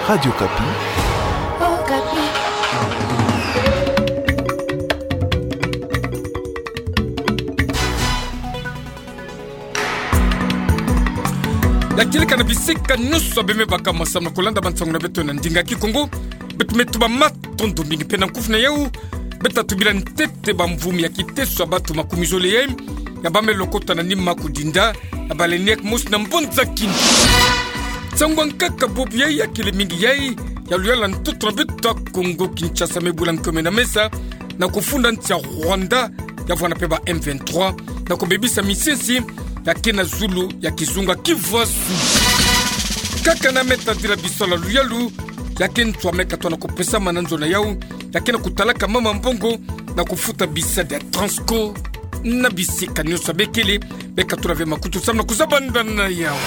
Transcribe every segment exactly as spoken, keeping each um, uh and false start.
Radio Okapi. Okapi. Ya kieleka na bisika nyonso bima baka masamu na kolanda bansangu na beto na ndinga Kikongo. Beto me tuba matondo mingi mpe na nkufi na yau. Beto tubila ntete bamvumi ya kiteso ya bato makumi zole yai ya ba me lokota na nima kudinda ya baleinière mosi na mbanza Kindu. Nsangu ya nkaka bobo yai ya kele mingi yai ya luyalu ya ntoto na beto ya Kongo Kinshasa me bula nkome na mesa na kufunda nsi ya Rwanda ya vwanda mpe ba M vingt-trois na kubebisa misisi ya ke na zulu ya kizunga Kivu ya Sud. Kaka na me tadila bisalu ya luyalu ya ke ntu ya me katoa na kupesama na nzo na yau ya ke na kutalaka mama mbongo na kufuta bisadi ya Transco na bisika nyonso ya bekele. Beka tula ve makutu samu na kuzabanda na yau.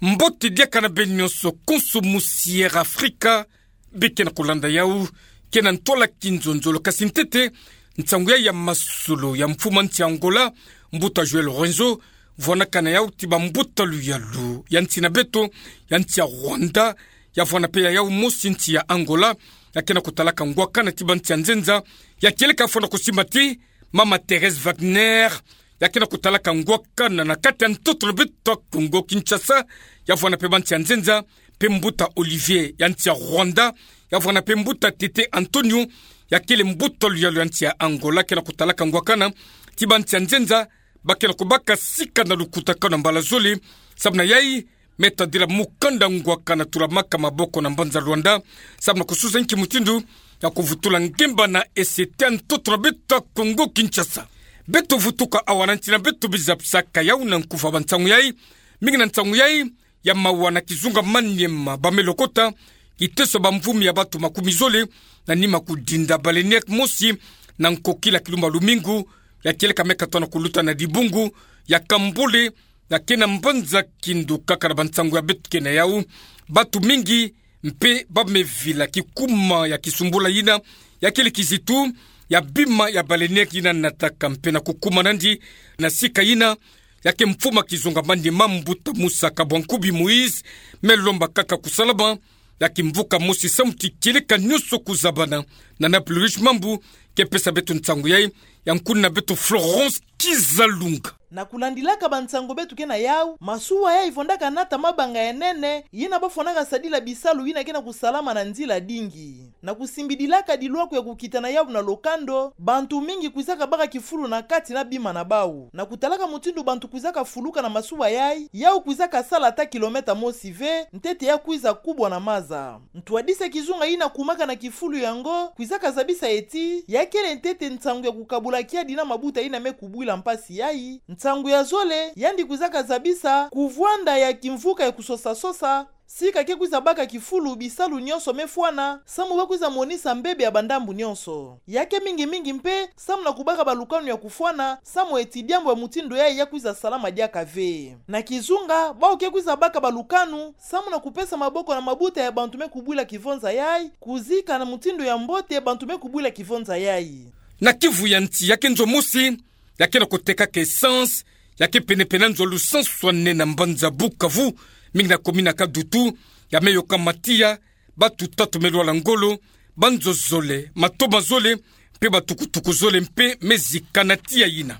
Mbote diaka na beno nyonso, konso musi ya Afrika beke na kolanda yau, ke na ntwala kinzonzolo kasi ntete, nsangu yai ya masolo ya mfumu nsi ya Angola, mbuta João Lourenço, vwanaka na yau ti bambuta luyalu ya nsi na beto, ya nsi ya Rwanda, ya vwanda mpe ya yau mosi nsi ya Angola, ya ke na kutalaka ngwakana ti bansi ya nzenza, ya kieleka fwana kusimba ti mama Thérèse Wagner, ya ke na kutalaka ngwakana na kati ya ntoto na beto ya Kongo Kinshasa, ya vwanda mpe bansi ya nzenza, mpe mbuta Olivier ya nsi ya Rwanda, ya vwanda mpe mbuta Tete Antonio, ya kele mbuta luyalu ya nsi ya Angola, ke na kutalaka ngwakana ti bansi ya nzenza, ba ke na kubaka sika na lukutakanu ya mbala zole, samu na yai, me tadila mukanda ngwakana tulamaka maboko na mbanza Luanda, samu na kususa nki mutindu ya kuvutula ngemba na esete ya ntoto na beto ya Kongo Kinshasa. Beto vutuka awa na nsi na beto biza pisaka yau na nkufa bansangu yai, mingi na nsangu yai ya mawa na kizunga Maniema ba me lokota, kiteso bamvumi ya bato makumi zole na nima kudinda baleinière mosi na nkokila kilumba lumingu, ya kieleka me katoa na kuluta na dibungu ya Kambole, ya ke na mbanza Kindu kaka na bansangu ya beto ke na yau. Bato mingi mpe ba me vila kikuma ya kisumbula yina, ya kele kizitu ya bima ya baleinière yina nataka mpe na kukuma nandi na sika yina, ya ke mfumu ya kizunga Maniema mbuta Musa Kabwankubi Moïse, me lomba kaka kusalama ya kimvuka mosi samu ti kieleka nyonso kuzabana. Na Nappel Rouge Mambu ke pesa beto nsangu yai, ya nkuna na beto Florence Kizalunga. Na kulandilaka bansangu beto ke na yau, masuwa yai vwandaka nata mabanga ya nene, yina ba fwanaka sadila bisalu yina ke na kusalama na nzila dingi. Na kusimbidilaka dilwaku ya kukitana yau na lokando, bantu mingi kwizaka baka kifulu na kati na bima na bau. Na kutalaka mutindu bantu kwizaka fuluka na masuwa yai, yau kwizaka sala ata kilomètre mosi ve, ntete ya kwiza kubwa na maza. Ntwadisi ya kizunga yina kumaka na kifulu yango kwizaka zabisa ye ti ya kele ntete nsangu ya kukabula kiadi na mabuta yina me kubwila mpasi yai. Nsangu ya zole, yandi kwizaka zabisa kuvwanda ya kimvuka ya kusosa-sosa, sika ke kwiza baka kifulu bisalu nyonso me fwana, samu ba kwiza monisa mbebe ya bandambu nyonso. Ya ke mingi-mingi mpe samu na kubaka balukanu ya kufwana, samu ye ti diambu ya mutindu yai ya kwiza salama diaka ve. Na kizunga, bau ke kwiza baka balukanu samu na kupesa maboko na mabuta ya bantu me kubwila kivonza yai, kuzika na mutindu ya mbote bantu me kubwila kivonza yai. Na Kivu ya nsi, ya ke nzo mosi ya ke na kutekaka essence ya ke pene-pene na nzo lusansu ane na mbanza Bukavu, mingi na commune ya Kadutu, ya me yoka matiya, batu tatu me lwala ngolo, banzo zole, matoma zole, mpe batukutuku zole mpe me zika na tiya yina.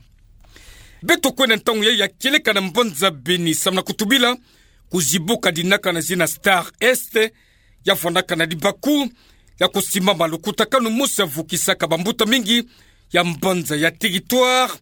Beto kwenda ntangu yai ya kieleka na mbanza Beni samu na kutubila kuzibuka dinaka na zina Star Est, ya fwanaka na libaku ya kusimama lukutakanu mosi ya vukisaka bambuta mingi ya mbanza, ya territoire,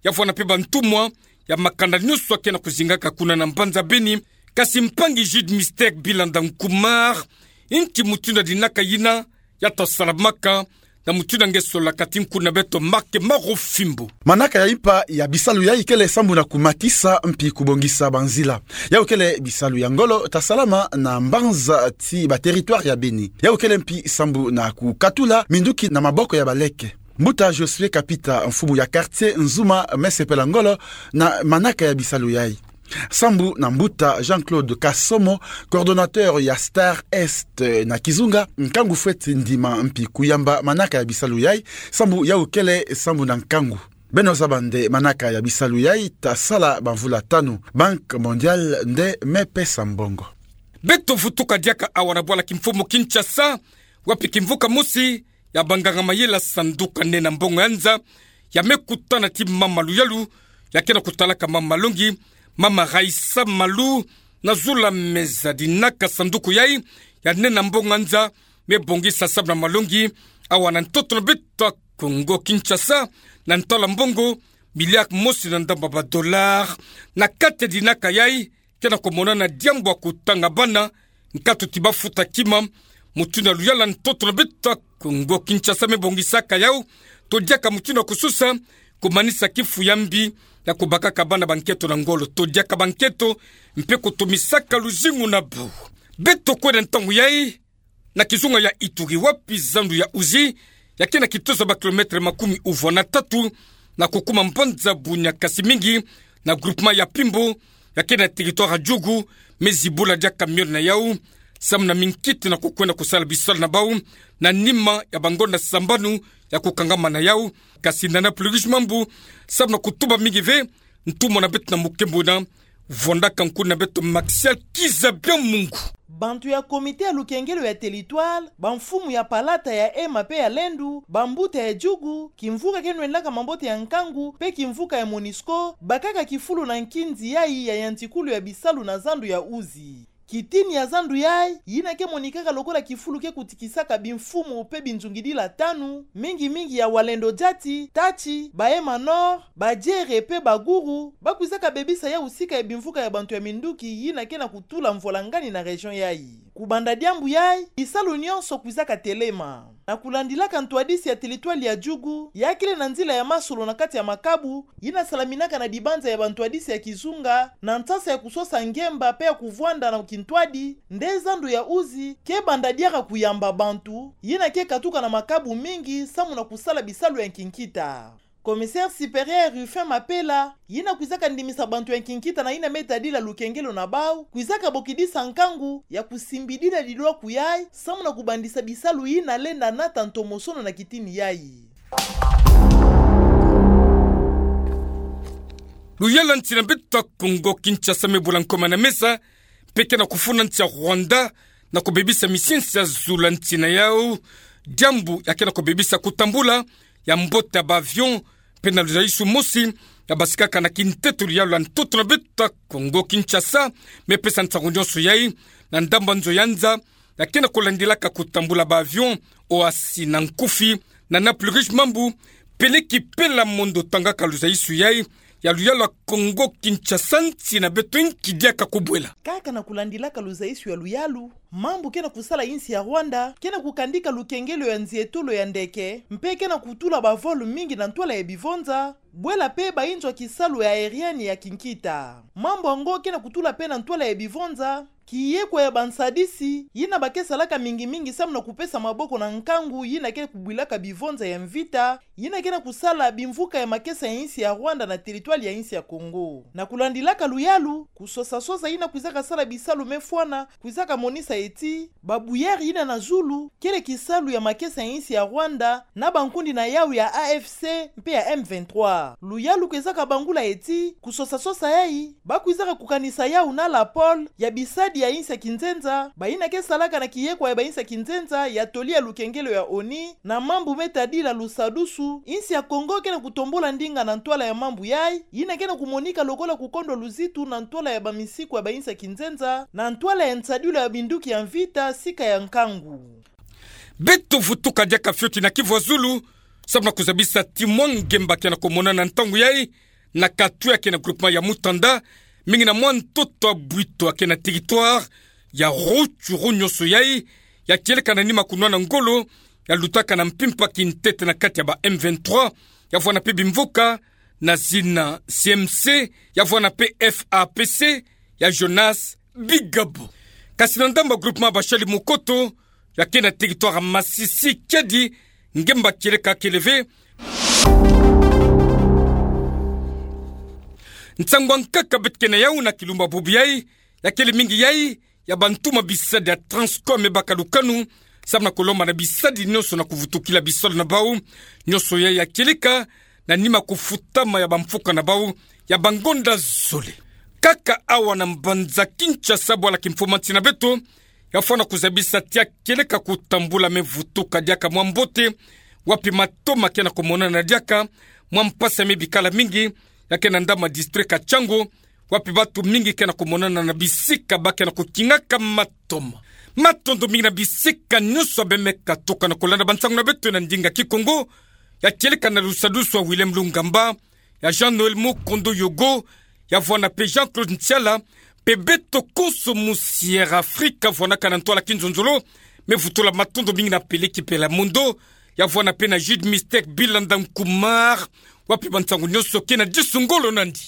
ya vwanda mpe bantumwa ya makanda nyonso ya ke na kuzingaka kuna na mbanza Beni. Kasi mpangi Jude Mystère Bilanda Nkumar, nki mutindu ya dinaka yina ya ta salamaka, na mutindu ya nge solaka ti nkuna na beto Marc Marofimbo. Manaka ya impa ya bisalu yai kele sambu na kumatisa mpi kubongisa banzila. Yau kele bisalu ya ngolo ta salama na mbanza ti ba territoire ya Beni. Yau kele mpi sambu na kukatula minduki na maboko ya baleke. Mbuta Josué Kapita, mfumu ya quartier Nzuma, me sepela ngolo na manaka ya bisalu yai. Sambu na mbuta Jean-Claude Kasomo, coordonnateur ya Star Est na kizunga, nkangu fweti ndima mpi kuyamba manaka ya bisalu yai, sambu yau kele sambu na nkangu. Beno zaba nde manaka ya bisalu yai ta sala bamvula tanu. Banque Mondiale nde me pesa mbongo. Beto vutuka diaka awa na bwala kimfumu Kinshasa, wapi kimvuka mosi ya banganga mayela sanduka nena mbongo ya nza, ya me kutana ti mama Luyalu, ya ke na kutalaka mama Malongi, mama Raïssa Malu, na zula meza dinaka sanduku yai ya nena mbongo ya nza, me bongisa samu na malongi awa na ntoto na beto ya Kongo Kinshasa, na ntoto ya mbongo, milliard mosi na ndamba ba dollars, na kati ya dinaka yai, ke na kumonana diambu ya kutanga bana, nkatu ti bafuta kima, mutindu ya luyala ntoto na beto ya Kongo Kinshasa me bongisaka yau, to diaka mutindu ya kusosa, kumanisa kifu ya mbi, ya kubakaka bana ba nkento na ngolo, to diaka ba nkento, mpe kutumisaka luzingu na bau. Beto kwenda ntangu yai, na kizunga ya Ituri wapi zandu ya Uzi, ya ke na kitozo ba kilomètre makumi uvwa na tatu, na kukuma mbanza bunia kasi mingi, na groupement ya Pimbo, ya ke na territoire ya Djugu, me zibula diaka miole na yau, samu na minkiti na kukwenda kusala bisalu na bau, na nima ya bangonda sambanu ya kukangama na yau, kasi na na pluie mambu, samu na kutuba mingi ve, ntumwa na beto na mukembuna, vwandaka nkuni na beto Maxial Kizabia Mungu. Bantu ya comité ya lukengelo ya territoire, bamfumu ya palata, ya ema mpe ya lendu, bambuta ya Djugu, kimvuka ke nwendaka mambote ya nkangu, mpe kimvuka ya Monusco, bakaka kifulu na nkinzi yai ya yantikulu ya bisalu na zandu ya Uzi. Kitini ya zandu yai, yina ke monikaka lokola kifulu ke kutikisaka bimfumu mpe binzungidila tanu, mingi mingi ya Walendo Jati, Tachi, ba Ema Nord, ba Jere mpe ba Guru, bakwizaka bebisa yau sika ya bimvuka ya bantu ya minduki yina ke na kutula mvwalangani na région yai. Kubanda diambu yai, bisalu nyonso kwizaka telema. Na kulandilaka ntwadisi ya territoire ya Djugu, ya kele na nzila ya masolo na kati ya makabu, yina salaminaka na dibanza ya bantwadisi ya kizunga, na nsasa ya kusosa ngemba mpe ya kuvwanda na kintwadi, nde zandu ya Uzi ke banda diaka kuyamba bantu yina ke katuka na makabu mingi samu na kusala bisalu ya nkinkita. Commissaire supérieur Rufin Mapela, yina kwizaka ndimisa bantu ya nkinkita na yina me tadila lukengelo na bau, kwizaka bokidisa nkangu ya kusimbidila dilwaku yai, samu na kubandisa bisalu yina lenda nata ntomosono na kitini yai. Luyala nsi na beto ya Kongo Kinshasa me bula nkoma na mesa, mpe ke na kufuna nsi ya Rwanda, na kubebisa misiensi ya zula nsi na yau, diambu ya ke na kubebisa kutambula ya mbote ya ba avion, mpe na luzaisu mosi, ya basikaka na kintetolo ya lula ntoto na beto ya Kongo Kinshasa, me pesa nsangu nyonso yai, na ndamba nzo ya nza, ya ke na kulandilaka kutambula ba avion, oasi na nkufi, na na pluie mambu, peleki pela mondo tangaka luzaisu yai, ya luyalu ya Kongo Kinshasa nsi na beto nki diaka kubwela. Kaka na kulandilaka luzaisu ya luyalu, mambu ke na kusala insi ya Rwanda, ke na kukandika lukengelo ya nzietolo ya ndeke, mpe ke na kutula ba vol mingi na ntwala ya bivonza, bwela mpe ba inzo ya kisalu ya aérienne ya kinkita. Mambu yango ke na kutula mpe na ntwala ya bivonza, kiyekwa ya bansadisi, yina ba ke salaka mingi mingi samu na kupesa maboko na nkangu, yina ke kubwilaka bivonza ya mvita, yina ke na kusala bimvuka ya makesa ya insi ya Rwanda na territoire ya insi ya Kongo. Na kulandilaka luyalu, kusosa sosa yina kwizaka sala bisalu me fwana, kwizaka monisa eti, ba bouillère yina na zulu, kele kisalu ya makesa ya insi ya Rwanda, na bankundi na yau ya A F C, mpe ya M vingt-trois. Luyalu kwizaka bangula eti, kusosa sosa yai, ba kwizaka kukanisa yau na la pole, ya bisadi ya insi ya kinzenza, ba yina ke salaka na kiyekwa ya ba insi ya kinzenza, ya toli ya lukengelo ya ONU, na mambu me tadila lusadusu, insi ya Kongo ke na kutombola ndinga na ntwala ya mambu yai, yina ke na kumonika lokola kukondwa luzitu na ntwala ya bamisiku ya ba insi ya kinzenza, na ntwala ya nsadilu ya binduki ya mvita, sika ya nkangu. Beto vutuka diaka fioti na Kivu ya Zulu, samu na kuzabisa ti mwa ngemba ke na kumonana ntangu yai, na katu ya ke na groupement ya Mutanda, mingi na mwa ntoto ya Bwito ya ke na territoire ya Rutshuru nyonso yai, ya kieleka na nima kunwana ngolo, ya lutaka na mpimpa kintete na kati ya ba M vingt-trois, ya vwanda mpe bimvuka, na zina C M C, ya vwanda mpe F A P C, ya Jonas Bigabo. Kasi na ndamba groupement Bashali Mukoto, ya ke na territoire ya Masisi kiadi, ngemba kieleka kele ve. Nsangu ya nkaka beto ke na yau na kilumbu bubu yai, ya kele mingi yai, ya bantu ma bisadi ya Transcom me baka lukanu, samu na kulomba na bisadi nyonso na kuvutukila bisalu na bau, nyonso yai ya kieleka, na nima kufutama ya bamfuka na bau ya bangonda zole. Kaka awa na mbanza Kinshasa, bwala kimfumanti na beto ya fwana kuzabisa tia kieleka kutambula me vutuka diaka mwa mbote, wapi matoma ke na kumonana diaka, mwa mpasi ya me bikala mingi ya ke na ndama district ya Tshangu, wapi batu mingi ke na kumonana na bisika ba ke na kukingaka matoma. Matondo mingi na bisika nyonso ya bemeka tuka na kulanda bansangu na beto na ndinga Kikongo, ya kieleka na dusadusu ya Willem Lungamba, ya Jean-Noël Mukondo Yogo, ya vwana pe Jean-Claude Ntiala, pe beto konso mu Sierra Africa vwanaka na ntwala kinzonzolo, me vutula matondo mingi na Peleki Pelamondo, ya vwana pe na Jude Mystère Bilanda Nkumar, wapi bansangu nyonso ke na disu ngolo nandi.